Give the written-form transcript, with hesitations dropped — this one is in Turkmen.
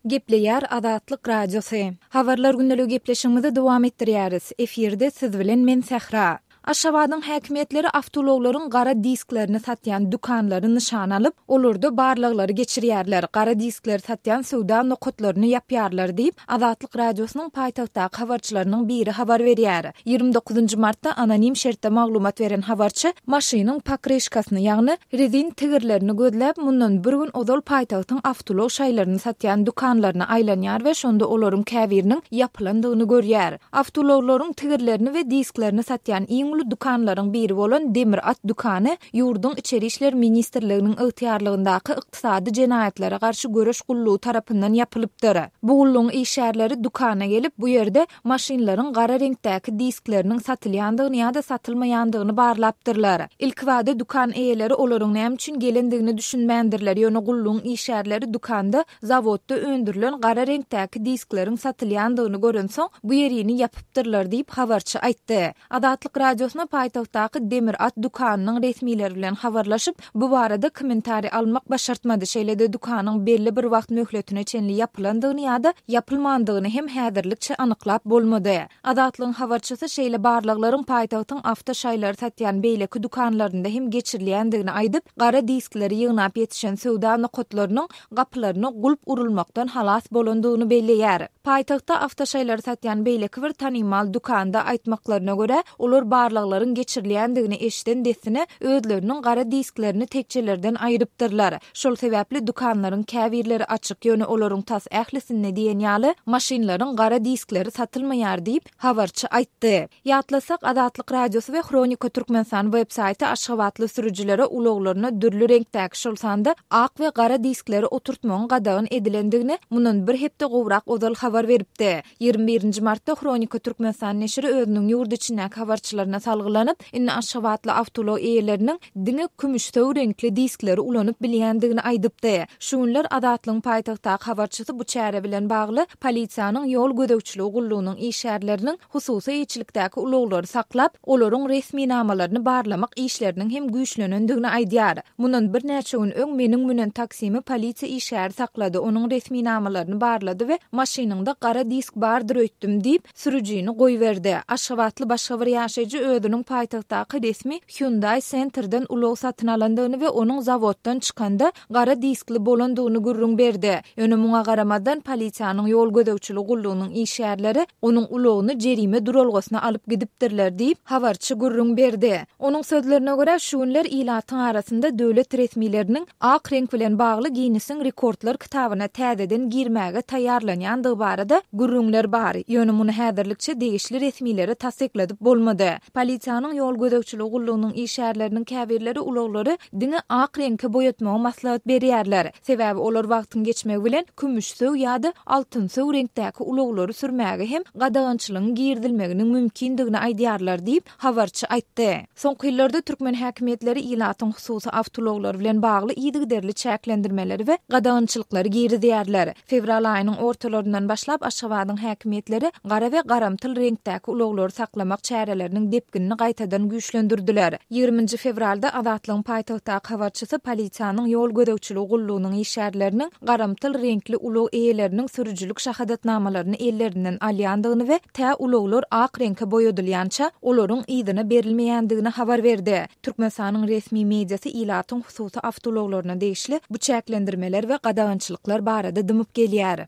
Gepleýär Azatlyk Radiosy. Habarlar gündeligi gepleşigimizi dowam etdirýäris. Efirde siz bilen men Sähra. Aşgabadyň häkimiýetleri awtoulaglaryň gara disklerini satýan dükanlary nyşana alyp, olarda barlaglary geçirýärler, gara diskleri satýan söwda nokatlaryny ýapýarlar diýip, Azatlyk Radiosynyň paýtagtdaky habarçylarynyň biri habar berýär. Ýigrimi dokuzynjy martda anonim şertde maglumat beren habarçy maşynyň pokryşkasyny, ýagny rezin tigirlerini gözläp, mundan bir gün ozal paýtagtyň awtoulag şaýlaryny satýan dükanlaryna aýlanýar we şonda olaryň käbiriniň ýapylandygyny görýär. Awtoulaglaryň tigirlerini we disklerini satýan iň uly dükanlaryň biri bolan Demir at dükany ýurduň Içeri işler ministrliginiň ygtyýarlygyndaky Ykdysady jenaýatlara garşy göreş gullugy tarapyndan ýapylypdyr. Bu gullugyň işgärleri dükana gelip, bu ýerde maşynlaryň gara reňkdäki diskleriniň satylýandygyny ýa-da satylmaýandygyny barlapdyrlar. Ilkibada dükan eýeleri olaryň näme üçin gelendigine düşünmändirler, ýöne gullugyň işgärleri dükanda zawodda öndürilen gara reňkdäki diskleriň satylýandygyny görensoň, bu ýerini ýapypdyrlar diýip, habarçy aýtdy. Azatlyk Radiosyna paýtagtdaky Demir at dükanynyň resmileri bilen habarlaşyp, bu barada kommentariý almak başartmady, şeýle-de dükanyň belli bir wagt möhletine çenli ýapylandygyny ýa-da ýapylmandygyny hem häzirlikçe anyklap bolmady. Azatlygyň habarçysy şeýle barlaglaryň paýtagtyň awto şaýlary satýan beýleki dükanlarynda hem geçirilýändigini aýdyp, gara diskleri ýygnap ýetişen söwda nokatlarynyň gapylaryna gulp urulmakdan halas bolandygyny belleýär. Paýtagtda awtoşaýlary satýan beýleki bir tanymal dükanda aýtmaklaryna görä, olar barlaglaryň geçirilýändigini eşiden dessine özleriniň gara disklerini tekjelerden aýrypdyrlar. Şol sebäpli dükanlaryň käbirleri açyk, ýöne olaryň tas ählisinde diýen ýaly maşynlaryň gara diskleri satylmaýar diýip, habarçy aýtdy. Ýatlasak, Azatlyk Radiosy we Hronika Türkmenistan web saýty aşgabatly sürüjilere ulaglaryna dürli reňkdäki, şol sanda ak we gara diskleri oturtmagyň gadagan edilendigini mundan bir hepde gowrak ozal habar beripdi. Ýigrimi birinji martda Hronika Türkmenistan neşiri özüniň ýurt içindäki habarçylaryna salgylanyp, indi aşgabatly awtoulag eýeleriniň diňe kümüşsöw reňkli diskleri ulanyp bilýändigini aýdypdy. Şu günler Azatlygyň paýtagtdaky habarçysy bu çäre bilen bagly polisiýanyň ýol gözegçiligi gullugynyň işgärleriniň hususy eýeçilikdäki ulaglary saklap, olaryň resminamalaryny barlamak işleriniň hem güýçlenendigini aýdýar. Mundan birnäçe gün öň meniň münen taksimi polisiýa işgäri saklady, onuň resminamalaryny barlady we maşynyňda gara disk bardyr öýtdüm diýip, sürüjini goýberdi. Aşgabatly başga bir ýaşaýjy özüniň paýtagtdaky resmi Hyundai Center-den ulag satyn alandygyny we onuň zawoddan çykanda gara diskli bolandygyny gürrüň berdi. Ýöne muňa garamazdan, polisiýanyň ýol gözegçiligi gullugynyň işgärleri onuň ulagyny jerime duralgasyna alyp gidipdirler diýip, habarçy gürrüň berdi. Onuň sözlerine görä, şu günler ilatyň arasynda döwlet resmileriniň ak reňk bilen bagly Ginnesiň rekordlar kitabyna täzeden girmäge taýýarlanýandygy barada gürrüňler bar. Ýöne muny häzirlikçe degişli resmilere tassykladyp bolmady. Polisiýanyň ýol gözegçiligi gullugynyň işgärleriniň käbirleri ulaglary diňe ak reňke boýatmagy maslahat berýärler. Sebäbi olar wagtyň geçmegi bilen kümüşsöw ýa-da altynsöw reňkdäki ulaglary sürmäge hem gadagançylygyň girizilmeginiň mümkindigini aýdýarlar diýip, habarçy aýtdy. Soňky ýyllarda türkmen häkimiýetleri ilatyň hususy awtoulaglary bilen bagly yzygiderli çäklendirmeleri we gadagançylyklary girizýärler. Fewral aýynyň ortalaryndan başlap Aşgabadyň häkimiýetleri gara we garamtyl reňkdäki ulaglary saklamak çäreleriniň depginini gaýtadan güýçlendirdiler. Ýigriminji fewralda Azatlygyň paýtagtdaky habarçysy polisiýanyň ýol gözegçiligi gullugynyň işgärleriniň garamtyl reňkli ulag eýeleriniň sürüjilik şahadatnamalaryny ellerinden alýandygyny we tä ulaglar ak reňke boýadylýança, olaryň yzyna berilmeýändigini habar berdi. Türkmenistanyň resmi mediasy ilatyň hususy awtoulaglaryna degişli bu çäklendirmeler we gadagançylyklar barada dymyp gelýär.